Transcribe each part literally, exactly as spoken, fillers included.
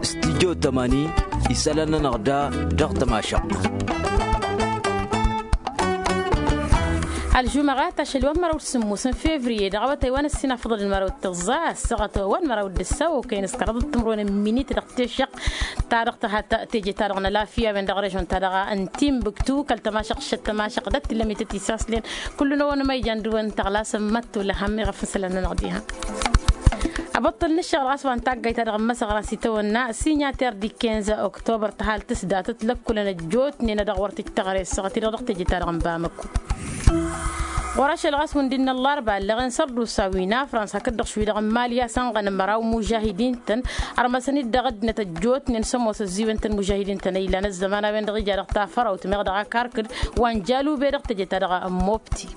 Studyo tămani isălan-nănăɣ da dăɣ-tămašăɣt. Ălžumăɣat ašăl wa n-măraw d-sǝmmos n-fevriye dăɣ-awătay wa n-ăssinafăḍăl n-măraw d-tăẓẓa ăssaɣăt wa n-măraw d-ǝssaw okăyăn s-kăraḍăt timǝrwen n-minit dăɣ-tešăɣt ta dăɣ-tihăt teje-ta-dăɣ n-ălafiya a-wen dăɣ-režon-ta-dăɣ n-timbuktu kăl-tămašăɣt šăt tămašăɣt d-ăttillăm ităt isaslen. Kullu n-ăwănămăyjan d-wăn tăɣlasăm măttu lăhăm iɣăf n-isălan-nănăɣ diha. Abăṭṭăl n-ǝššăɣǝl ɣas wa n-taggayt-ta-dăɣ n-imăsăɣran s-itawănna sinyater d-ikenza oktobăr tăhalt s-datăt lăkkulăn ăjjootnen a dăɣ-wăr t-ǝjtăɣre ăssaɣăt-i-dăɣ dăɣ-teje-ta-dăɣ n-bamăkko. Ɣur-ašăl ɣas hundi n-ăllarba ăllăɣen sărdusa wi n-afrans hakd-dăɣ šwi-dăɣ n-mali a-s ănɣăn măraw mužahidin-tăn. Ărmăsăn-dd dăɣ-ăddinăt ăjjootnen s-ămoos ăzziwen-tăn mužahidin-tăn a ilan ăzzăman a-wen-dăɣ ija dăɣ-tafărawt meɣ dăɣ-akarkǝd wa n-jalube dăɣ-teje-ta-dăɣ n-mobti.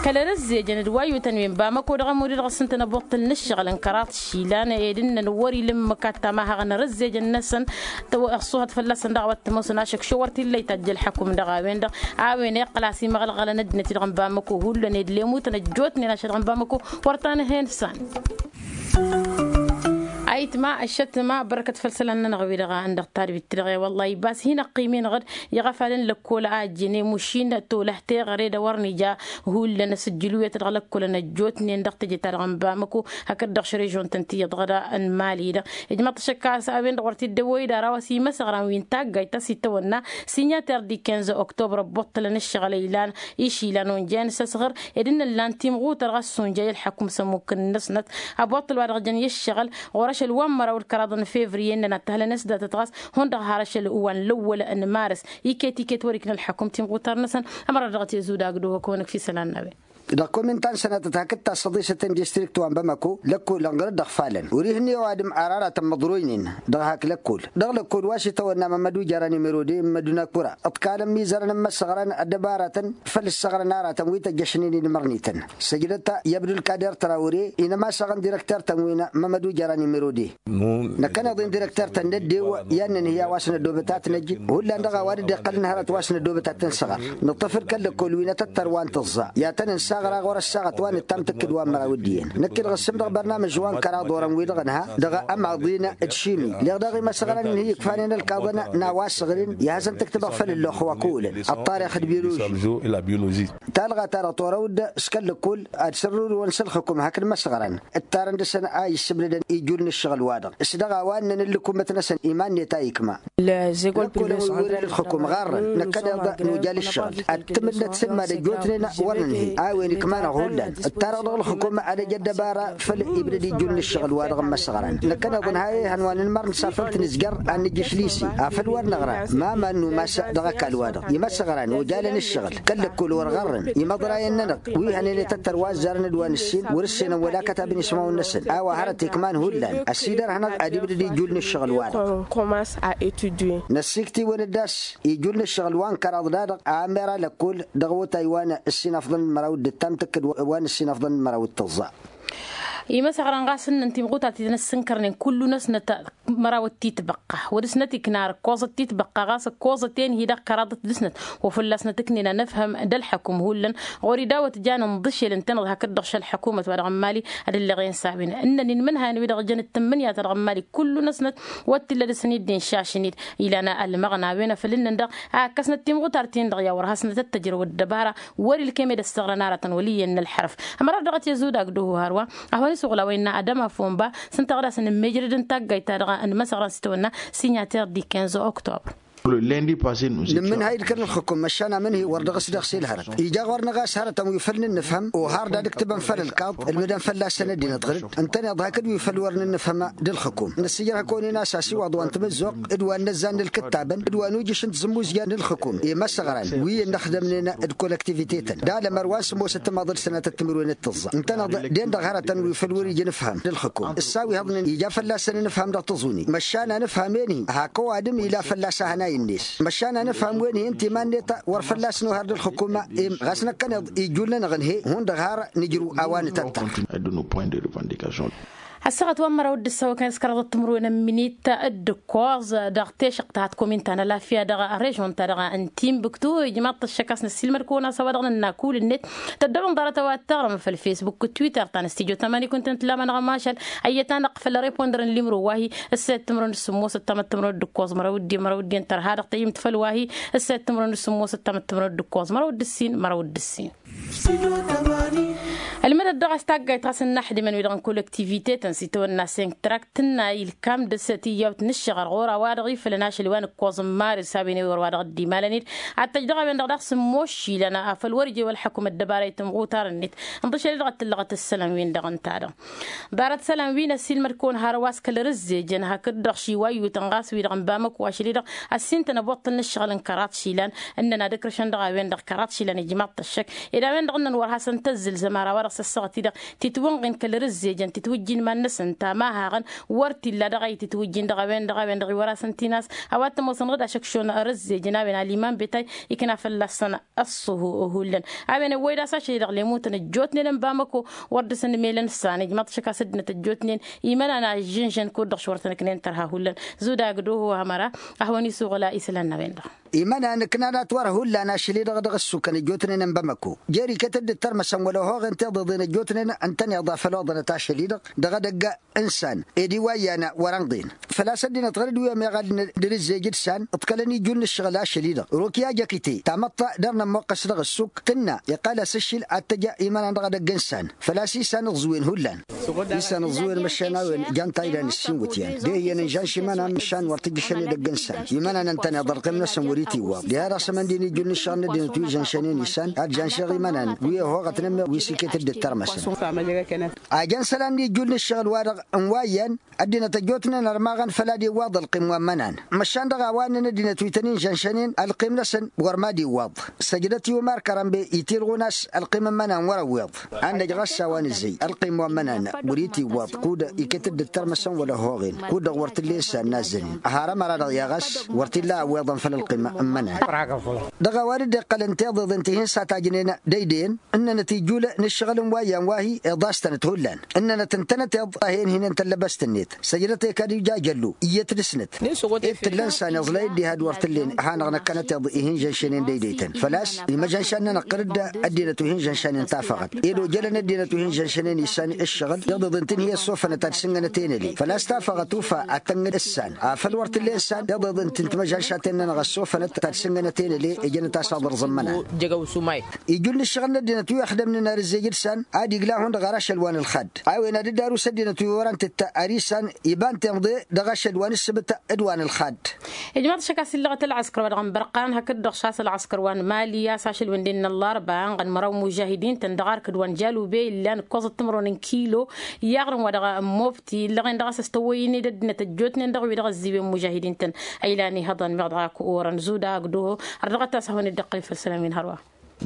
Kăl-erăzzejăn d-wa iyyutăn wi n-bamăko dăɣ-ămud-i-dăɣ s-ǝntăn ăboṭṭăl n-ǝššăɣǝl n-kăraḍ išilan ed ǝnnăn wăr-ila ǝmmǝk ad-tamahăɣăn erăzzejăn-năsăn. Ăṣṣuhăt fălla-săn dăɣ-a-wa t-ămoosăn ašăkšo wăr t-illa itajj ălḥăkum dăɣ-a-wen-dăɣ a-wen iqqăl a-s imăɣălɣălăn ăddinăt-i-dăɣ n-bamăko hullan ed lemutăn ăjjootnen ašăl-dăɣ n-bamăko. Wăr ta n-hen san. Ayǝtma ăššătma bărkăt făll-isălan-nănăɣ-wi-dăɣ a ǝndăɣ tadbit-ti-dăɣ i-wălla-hi bas hin-ăqqim-enăɣ-dd iɣăfalăn lăkkol a ăjjǝn i-mušin tolăh teɣăre d-a wăr nija. Hullan asǝjjǝl wi a tăt-dăɣ lăkkolăn ăjjootnen dăɣ-teje-ta-dăɣ n-bamăko hakd-dăɣ šărežon-tăn tiyyăḍ ɣăda n-mali-dăɣ. Ijmăḍ-t ašăk a-s a-wen-dăɣ wăr t-dd-ăwwăy d-ara wa s-imăsăɣran wi n-taggayt ta s-itawănna sinyater d-ikenza oktober ăbbuṭṭălăn ǝššăɣǝl a ilan išilan onjayăn s-asɣăr ed ǝnnăn lan timɣutăr ɣas s-onjay ălḥăkum s-ămmuk-năsnăt. Ăbbuṭṭăl wa dăɣ-jăn i-ǝššăɣǝl ɣur-ašăl wa n-măraw d-kăraḍ n-fevriye ǝnnăn ad-t-ăhlănen s-datăt ɣas hundăɣ har ašăl wa n-lăwwăl n-maras iket-iket wăr-ikna ălḥăkum timɣutăr-năsăn. Ămăra dăɣ-t i-zudagdu hăkk-wănăk fi isălan n-a-wen. Dăɣ-komintăn sănatăt hakd tassăḍisăt n-distrikt wa n-bamako lăkkol ănɣăr-dd ăɣfalăn wăr-ihǝnni ăwadǝm ar aratăn măḍroynen dăɣ-hak lăkkol dăɣ-lăkkol wa s-itawănna mămădu jara nimero de n-mădunakura ǝḍkalăn mizărăn n-imăssăɣrăn ăddăbaratăn făll-ǝssăɣrăn aratăn wi tăjjăšnen inmărnităn. Săjdăt i-abdulkader trawre inămasăɣăn direkter-tăn wi n-mămădu jara nimero de. Năkkăneḍ-in direkter-tăn n-ăddew i-ad-nǝnhǝy a-wa s-nădobăt ad-t-năjj hullan dăɣ-a-wa dd-iqqălăn hărăt wa s-nădobăt ad-t-nǝsɣăr. Nǝṭṭăf-dd kăl-lăkkol wi n-atăttăr wa n-tǝẓẓa i-ad-tăn-nǝssaɣra ɣur-ăssaɣăt wa nǝttam tǝkkǝd wa n-măraw d-iyyăn. Năkk-i-dăɣ ǝssǝm dăɣ-bărnamǝž wa n-kăraḍ orăn wi-dăɣ ǝnha dăɣ-ămaḍin d-šimi. Leɣ daɣ imăsăɣran ǝnhǝy ǝkfanen ălkaḍăn n-a-wa ăssăɣrin i-ad-hasăn-tǝktǝbăɣ făll-ǝlloxx wa kăwălăn ăṭṭarix d-biluži. Talɣa-ta-dăɣ torăw-dd s-kăl-lăkkol ad-sărrurǝwăn s-ǝlxǝkum hakd imăsăɣran ǝttarăn dăɣ-săn a issǝbnădăn ijul n-ǝššăɣǝl-wa-dăɣ s-dăɣ a-wa ǝnnăn ǝllǝkumăt-năsăn iman-net a ikma. Lăkkolăn wi wǝren ǝlxǝkum ɣarrăn năkkăneḍ nujal ǝššăɣǝl ad-tǝmǝnnăt sǝlmad ăjjootnen wăr nǝnhǝy a-wen ikmanăɣ hullan. Ǝttarăɣ dăɣ-ǝlxǝkum ad-ăj ăddăbara făll-ibdăd ijul n-ǝššăɣǝl-wa-dăɣ n-imăsăɣran năkkăneḍ ǝnha ihăn wa nǝnmăr n-safăl tǝnǝzjăr ad-nǝjjǝš lise afăl wăr năɣra. Ma ma n-numas dăɣ-ăkall-wa-dăɣ imăsăɣran ojalăn ǝššăɣǝl kăl-lăkkol wăr ɣarrăn imăḍrayăn-nănăɣ wi hănen i-tăttăr wa ăzzarăn d-wa nǝssin wăr-ǝssenăn wăla kătab n-ismawăn-năsăn a-wa hărăt ikman hullan ăsidărhănăɣ ad-ibdăd ijul n-ǝššăɣǝl-wa-dăɣ. Năssikt'-iwăn-dd a-s ijul n-ǝššăɣǝl wa n-kăraḍ-da-dăɣ a ămera lăkkol dăɣ-awătay wa n-ǝssinafḍăn d-măraw d-ǝttam tǝkkǝd wa n-ǝssinafḍăn d-măraw d-tǝẓẓa. Imăsăɣran ɣas ǝnnăn timɣutat-i tăn-ăssǝnkărnen kullu-năsnăt măraw d-titbăqqa wa dăɣ-snăt ikna ar ǝkkoẓăt titbăqqa ɣas ǝkkoẓăt-en-hi dăɣ-kăraḍăt dăɣ-snăt wa fălla-snăt ǝknen anăfhăm d-ălḥăkum hullan. Ɣur-i dawăt janen ḍǝšel ǝntăneḍ hakd-dăɣ šălḥăkumăt wa dăɣ-n mali ad-ǝlleɣ-en s-a-wen ǝnnăn inmǝnhayăn wi-dăɣ jăn d-tǝmmǝnǝya-ta-dăɣ n-mali kullu-năsnăt. Wăr t-illa dăɣ-săn-dd inšašăn-dd ilan ălmăɣna a-wen afăl ǝnnăn dăɣ-a ǝkkăsnăt timɣutar-tin-dăɣ i-a wăr hasnăt ăttăjrăw ăddăbara. Wăr-ilkem ed ăssaɣrăn aratăn wăl' iyyăn n-ălḥărăf. Ămăra dăɣ-t i-ăzudagd uhu hărwa a hawăn-iswăɣla wa innă adăma fomba s-ǝnta ɣǝd-asăn ǝmmejrăd n-taggayt-ta-dăɣ n-imăsăɣran s-itawănna sinyater di quinze octobre. Nǝmmǝnhay d-kăl-ǝlxǝkum măšan amǝnhi wăr dăɣ-s dăɣ-s i-ălhărăt ija ɣur-năɣ a-s hărătăn wi făl-nǝnnǝfhăm ohar d-ad-ǝktǝbăn făll-ălkaḍ ǝlmǝdăn fălla-săn ăddinăt ɣǝr-dd ǝntăneḍ hakd wi făl wăr nǝnnǝfhăm d-ǝlxǝkum. Năssiijrăh hakd-onen a-s asiwaḍ wa n-tamǝzzuɣt d-wa n-inăzzan n-ǝlkǝttabăn d-wa n-ujǝš n-tazǝmmuzja n-ǝlxǝkum i-imăsăɣran wi ǝnnăxdămnen d-kolăktivite-tăn d-alămăr wa n-sǝmmosăt timaḍ d-sănatăt timǝrwen d-tǝẓẓa ǝntăneḍ den-dăɣ hărătăn wi făl wăr-ija nǝfhăm d-ǝlxǝkum. Ǝssaw ihăḍnen ija fălla-săn nǝfhăm dăɣ-tăẓuni măšan anǝfhăm enhi hak ăwadǝm ila fălla-s ahănay-net măšan anǝfhăm wen-hi ǝnta iman-net wăr fălla-s nohar d-ǝlxǝkum. Im ɣas năkkăneḍ ijul-nănăɣ ǝnhey hundăɣ har nǝjrǝw a-wa nǝtăttăr. Ăssaɣăt wa n-măraw d-ǝssăwăkăn s-kăraḍăt timǝrwen n-minit d-ǝkkoẓ dăɣ-tešăqt ta hătkomin ta n-alafya dăɣ-režon ta dăɣ-n timbuktu ijmaḍ-t ăššăk a-s năssiilmăd-kăwăn a-s a-wa dăɣ-nǝnna kull-net. Tăddobăn ḍarăt a-wa t-taɣrăm făll-fesbuk d-twitter ta n-stijo tamani kunta n-tǝllamănăɣ mašal ăyyăt-anăɣ făll-ripondăr n-limro wa-hi. Ǝssayăt timǝrwen d-sǝmmosăt tamăt timǝrwen d-ǝkkoẓ măraw d-dd-en măraw d-dd-en tărha dăɣ-tăyyǝmt făll-wa-hi. Ǝssayăt timǝrwen d-sǝmmosăt tamăt timǝrwen d-ǝkkoẓ măraw d-ǝssin măraw d-ǝssin. Ălmădăt dăɣ-a-s taggayt ɣas ǝnnăḥdǝmăn wi-dăɣ n-kolektivite-tăn s-itawănna senk trakt tǝnna ilkam dăr-s tiyyawt n-ǝššăɣăr ɣur-a-wa-dăɣ ifălăn ašăl wa n-ǝkkoẓ n-maris a-wen ewăr wa dăɣ-dd-imalăn-dd. Ad-tăjj dăɣ-a-wen-dăɣ daɣ sǝmmos išilan afăl wăr ija i-wălxăkum ăddăbara i-tǝmɣutar-net. Ǝnḍǝšăl-i-dăɣ ad-tǝllăɣăt ǝssălan-win-dăɣ ǝnta-dăɣ ḍarăt isălan wi n-ăssiilmăd-kăwăn hărwa s-kăl-răzzejăn hakd-dăɣ šiwa iyyutăn ɣas wi-dăɣ n-bamăko ašăl-i-dăɣ ăssintăn ăboṭṭăl n-ǝššăɣǝl n-kăraḍ išilan. Ǝnnăn ad-ǝkrǝšăn dăɣ-a-wen-dăɣ kăraḍ išilan ijmaḍ-t ăššăk ed a-wen-dăɣ ǝnnăn wăr hasăn-tăzzǝlzăm ar a-wa-dăɣ s-ăssaɣăt-i-dăɣ titwǝnɣin kăl-răzzejăn titwǝjjin iman-năsăn tamahaɣăn. Wăr t-illa dăɣ-a itǝtwǝjjin dăɣ-a-wen-dăɣ a-wen-dăɣ iwăr hasăn-t-in-as a-wa t-ămoosăn ɣǝd ašăkšon răzzejăn a-wen aliman betay ikna fălla-săn ăṣṣuhu hullan. A-wen ăwwăy d-a-s ašăl-i-dăɣ lemutăn ăjjootnen n-bamăko wăr dăr-săn mel n-isan ijmaḍ-t ašăk a-s ăddinăt ăjjootnen imănan a ǝžžǝnžăn kud-dăɣ šwăr tănăknen tărha hullan. Zuda agdăho hamăra ad-hawăn-isuɣǝl a isălan n-a-wen-dăɣ. Imănan ǝknan a-t wăr hullan ašăl-i-dăɣ dăɣ-ǝssukăn ăjjootnen n-bamăko jer-iket-dd d-tărmăsăn wăla ohoɣen tiḍeḍen ăjjootnen ǝntăneḍ a făl oḍănăt ašăl-i-dăɣ dăɣ-edăgg n-isan ed iwayyan wăr-ănḍen. Făl-a-s ăddinăt ɣăr-dd wi ămeɣal n-dăr-ǝzzej d-isan ǝḍkălăn ijun n-ǝššăɣǝl ašăl-i-dăɣ rokya jăkite tamăḍt dăr-nămmoqqăs dăɣ-ǝssuk tǝnna iqqal-as ǝššǝl ad-tăj imănan dăɣ-edăgg n-isan. Făl-a-s isan ǝẓẓǝwen hullan isan ǝẓẓǝwen măšan a-wen jan tayla n-ǝssin wǝtyan d-ehǝyăn ǝnžanš imănan măšan wăr tǝjjǝšăn edăgg n-isan imănan ǝntăneḍ ălqim-năsăn wăr-itiwwaḍ diha dăɣ-s ămăndin ijul n-ǝššăɣǝl n-ăddinăt wi žănšănen isan ad-žănšeɣ imănan wi ăhoɣătnen meɣ wi s-iket-dd d-tărmăsăn. A jăn isălan n-ijul n-ǝššăɣǝl-wa-dăɣ n-wa iyyăn ăddinăt ăjjootnen ărmaɣăn făl ad-iwwaḍ ălqim wa n-imănan. Măšan dăɣ-a-wa ǝnnăn ăddinăt wi tăn-in-žănšănen ălqim-năsăn wăr mad-iwwaḍ. Săjdăt i-umar kărănbe itilɣun a-s ălqim n-imănan wăr-ăwweḍ. Ad-năj ɣas a-wa nǝzzăy ălqim wa n-imănan wăr-itiwwaḍ kud-iket-dd d-tărmăsăn wăla ăhoɣen kud-dăɣ wăr t-illa i-ǝssan n-azzănen. Ăharăm ara-dăɣ i-a ɣas wăr t-illa ăwweḍăn făll-ălqim n-imănan. Dăɣ-a-wa dd-iqqălăn tiḍeḍen ti hin-satajnen d-ăydăyăn ǝnnănăt ijul n-ǝššăɣǝl n-wa iyyăn wa hi-iḍastănăt hullan. Ǝnnănăt ǝntănăteḍ a hen-hinen tăllăbăst-net săjdăt i-kad ija jăllu iyyăt dăr-snăt. Ed t-ǝllăn san iẓlay dd-ihad wăr t-ǝllen hanăɣ-năkkănăteḍ ih'-in žănšănen d-ăydăytăn făl-a-s imăžănšan-nănăɣ kăr-dd ăddinăt wi hin-žănšănen tafăɣăt ed ojălăn ăddinăt wi hin-žănšănen isan ǝššăɣǝl iḍeḍen-t-in hi-ăssofănăt ad-sǝngănăt enăle făl-a-s tafăɣăt ufa ad-tăngăd ǝssan. Afăl wăr t-ǝllen san iḍeḍen-t timăžănšaten-nănăɣ ăssofănăt ad-sǝngănăt enăle ijănăt a-s aḍărẓ n-imănan. Ijul n-ǝššăɣǝl n-ăddinăt wi ăxdămnen ar ǝzzej d-isan ad-igla hundăɣ ar ašăl wa n-ǝlxad. A-wen ad-dd-arus ăddinăt wi wărăn tǝttǝ ar isan iba n-timḍe dăɣ-ašăl wa n-ǝssǝbǝt d-wa n-ǝlxad. Ijmaḍ-t ašăk a-s illăɣăt ălɣăskăr wa dăɣ-n bărqan hakd-dăɣ šasăl ɣăskăr wa n-mali a-s ašăl wi n-dd-innă ăllarba ănɣăn măraw n-mužahidin-tăn dăɣ-arkǝd wa n-jalube illan ǝkkoẓăt timǝrwen n-kilo. I-aɣrǝm wa dăɣ-n mobti illăɣen dăɣ-a-s ăstăwwăy-in-dd ăddinăt ăjjootnen dăɣ-wi-dăɣ ăzziwen mužahidin-tăn. Ăylan ihăḍăn meɣ dăɣ-ak orăn zuda agduho. Ărdăɣăt a-s ad-hawăn-dd-iqqăl făll-isălan wi n-hărwa.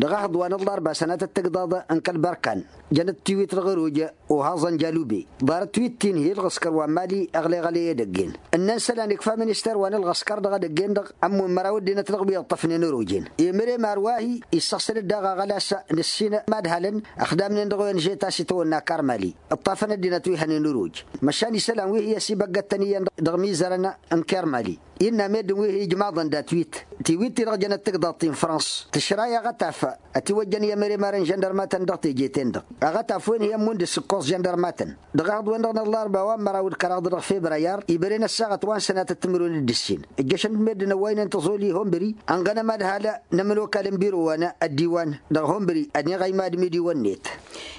Dăɣ-ehăḍ wa n-ăllarba sănatăt tǝgdaḍ n-kăl-bărkan jănăt tiwit dăɣ-ăroj. Ohăẓăn jalube ḍarăt wi t-inhi ǝlɣǝskăr wa n-mali ăɣleɣăle i-edăgg-en. Ǝnnăn isălan ikfa minister wa n-ălɣăskăr dăɣ-edăgg-en-dăɣ ămmǝn măraw ăddinăt dăɣ-wi ǝṭṭăfnen ăroj-en. Emărem ar wa hi-issăɣsăl-dd daɣ aɣălas n-ǝssin madhalăn ăxdamnen dăɣ-wen žet a-s itawănna karmali ǝṭṭafăn ăddinăt wi hănen ăroj. Măšan isălan wi hi-ăsibăggăttăn iyyăn dăɣ-imizărăn n-kermali. Innă meddǝn wi hi-ijmaḍăn datwit tiwit-ti-dăɣ jănăt tǝgḍaḍt-i n-frăns tǝšra i-aɣătaf ătiwăjjăn i-emărem ar n-žăndărmatăn dăɣ-teje-ten-dăɣ. Aɣătaf-wen hi-ămmun d-ǝssǝkkoẓ žăndărmatăn. Dăɣ-ehăḍ-wen-dăɣ n-ăllarba wa n-măraw d-kăraḍ dăɣ-febrayar ibăren ăssaɣăt wa n-sănatăt timǝrwen d-ǝssin. Ǝjjăšăn-dd meddǝn ăwwăynen tăẓoli honbări ănɣănăm ad-halăn n-ămănokal n-biro wa n-ăddiwan dăɣ-honbări ăniɣăy madmǝdiwăn-net.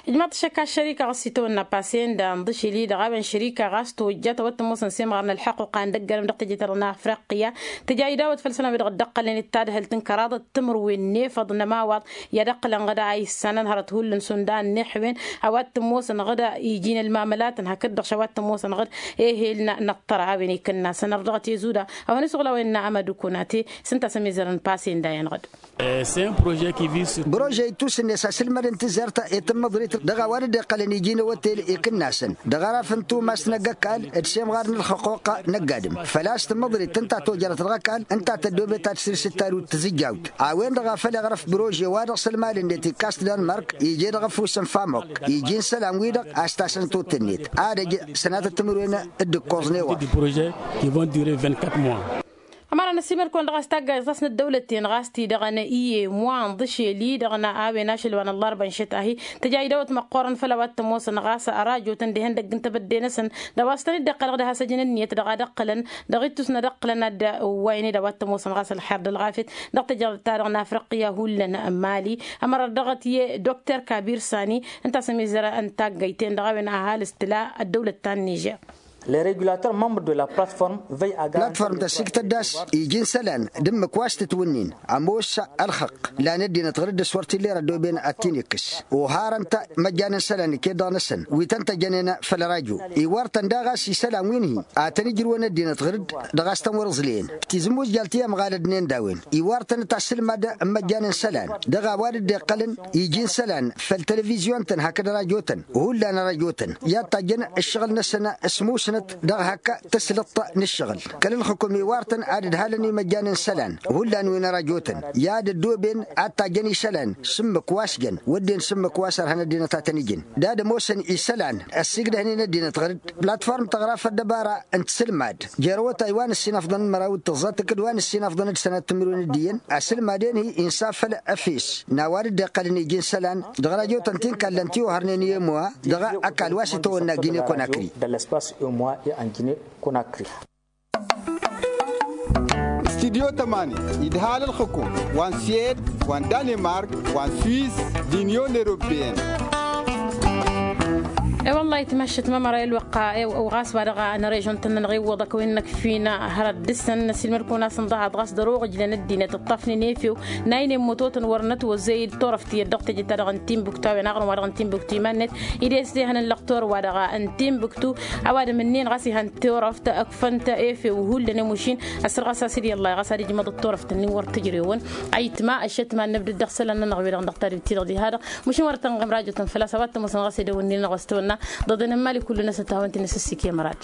Ijmaḍ-t ašăk a-s šărika ɣas itawănna pasenda ǝnḍǝšǝl-i-dăɣ a-wen šărika ɣas tojjat a-wa t-ămoosăn s-emɣar n-ălḥăqquqa n-dăgg-adǝm dăɣ-teje-ta-dăɣ n-afriqya. Tǝja idawăt făll-isălan wi dăɣ-dd-ăqqălnen d-tadhǝlt n-kăraḍăt timǝrwen n-efăḍ n-ămawăḍ. I-ad-ăqqǝlăn ɣǝd a issanăn hărăt hullan s-undan n-iḥwen. A-wa t-ămoosăn ɣǝd ijin ălmamălatăn hakd-dăɣ š-a-wa t-ămoosăn ɣǝd ehel n-ăṭṭăra a-wen ikǝnnasăn ărdăɣăt i-zuda. A-wa n-isuɣǝl a-wen n-amădukun ate s-ǝnta a-s ămizărăn pasenda-en-ɣǝd. Prože ittusǝnne s-asǝlmădăn tǝzzert i-tǝmmăḍrit dăɣ-a-wa dd-iqqălăn iji n-awătel ikǝnnasăn dăɣ-araf n-tumas n-agg-ăkall d-semɣar n-ălxăqquq n-ăgg-adǝm. Făl-a-s tǝmmăḍrit. Ǝnta tojărăt dăɣ-ăkall ǝnta tăddoobet ad-sǝlsǝt tarut tǝzǝjjawt a-wen-dăɣ a făl iɣrăf brože-wa-dăɣ s-ălmal-net ikkas-t d-anmărk ije dăɣ-ăfuss n-famok iji n-isălan-wi-dăɣ a-s tasăn-totǝnnet ad-ăj sănatăt timǝrwen. D-ǝkkoẓnen wa. Ămăra n-ăsimăl-kăwăn-dăɣ a-s taggayt ɣas n-ăddăwlăt-en ɣas tidăɣăn iyyem wa n-dăšel-i-dăɣ n-a-wen ašăl wa n-ăllarba n-šăt-ahi tǝja idawăt măqqoorăn făll-a-wa t-ămoosăn ɣas arajotăn dihen dăgg-n tebădde-năsăn. Dăɣ-a-s tăn-dd-iqqăl dăɣ-dăɣ hasăj n-ǝnniyăt dăɣ-ad-ǝqqǝlăn dăɣ-ittus n-ad-ǝqqǝlăn ad-ǝwwaynen a-wa t-ămoosăn ɣas ălxer d-ălɣafyăt dăɣ-tejăḍ-ta-dăɣ n-afriqya hullan. Mali ămăra dăɣ-t i-dokter kabir sani ǝnta a-s ămizăr n-taggayt-en dăɣ-a-wen ăhalǝs tǝla ăddăwlăt ta n-nižer. Platform tăsiktăt d-a-s iji n-isălan d-ǝmmǝk wa s-tǝtwǝnnin ămoos ălxăqq. Lan ăddinăt ɣǝr-dd s-wăr t-illa erăddoben ad-t-in-ikkǝs oharăn-t măjjan n-isălan iket-dăɣ-năsăn wi tăn-tăjjănen făll-rajo. Iwwăr-tăn daɣ a-s isălan wi n-hi-ad-tăn-ijrǝwăn ăddinăt ɣǝr-dd dăɣ-a-s tăn-wăr-ǝẓleyăn tizǝmmuzjal ti ămɣalădnen d-a-wen. Iwwăr-tăn a tasǝlmad n-imăjjan n-isălan dăɣ-a-wa dd-iqqălăn iji n-isălan făll-televizyon-tăn hakd rajo-tăn hullan rajo-tăn i-ad-tajjăn ǝššăɣǝl-năsăn s-musnăt. Dăɣ-hak tǝslǝḍt n-ǝššăɣǝl kăl-ǝlxǝkum iwwăr-tăn ad-ǝdhalăn imăjjan n-isălan hullan wi n-rajo-tăn i-ad-ăddooben ad-tajjăn isălan s-ǝmmǝk wa s-jăn wădden s-ǝmmǝk wa s-ărhăn ăddinăt a tăn-ijǝn d-ad-ămoosăn isălan ăssiigdăhnen ăddinăt ɣǝr-dd. Platform tăɣra făll-dăbara n-tǝsǝlmad jer-awătay wa n-ǝssinăfḍăn n-măraw d-tǝẓẓa tǝkkǝd wa n-ǝssinăfḍăn d-sănat timǝrwen d-iyyăn asǝlmad-en-hi insa făll-efes n-a-wa dd-iqqălăn iji n-isălan. Dăɣ-rajo-tăn ti n-kallăn tiwăhărnen i-ămoa dăɣ-ăkall wa s-itawănna gine konakri. Studyo tămani idhal ǝlxǝkum wa n-siyed wa n-danemark wa n-swis d-inyon eropeyăn. E-wăllah itmaššăt mămăra i-ălwăqqa. Ɣas wa dăɣ-nărežon-tăn-nănăɣ iwwăḍăk wi n-inăkfin hărăt dăr-săn năsilmăd-kăwăn-asăn ḍahaḍ ɣas dăr-oɣǝjlăn ăddinăt ǝṭṭafnen efew n-a inen mutotăn wăr nătwăzzăy d-turăft tiyyăt dăɣ-teje-ta-dăɣ n-timbuktu a-wen aɣrǝm-wa-dăɣ n-timbuktu iman-net. Ide s-tehăn n-lăqtor-wa-dăɣ n-timbuktu ăwadǝm ǝnnin ɣas ihăn turăft ǝkfăn-t efew hullan i-mušin. Ăssăr ɣas a-s dd-iyyăllay ɣas ad-ijmăḍăt turăft-ǝnnin wăr tǝjrewăn. Ayǝtma ăššătma n-nǝbdǝd dăɣ-isălan-nănăɣ wi-dăɣ dăɣ-tadǝbt-i-dăɣ diha-dăɣ. Mušin wăr tănɣăm rajo-tăn făl-a-s a-wa t-ămoosăn ɣas edăwănnin-năɣ wa s-tăwănna dăɣ-dănămmal i-kullu-năsăn tahăwăn-t-in ăssăssikǝy ămăra-dd.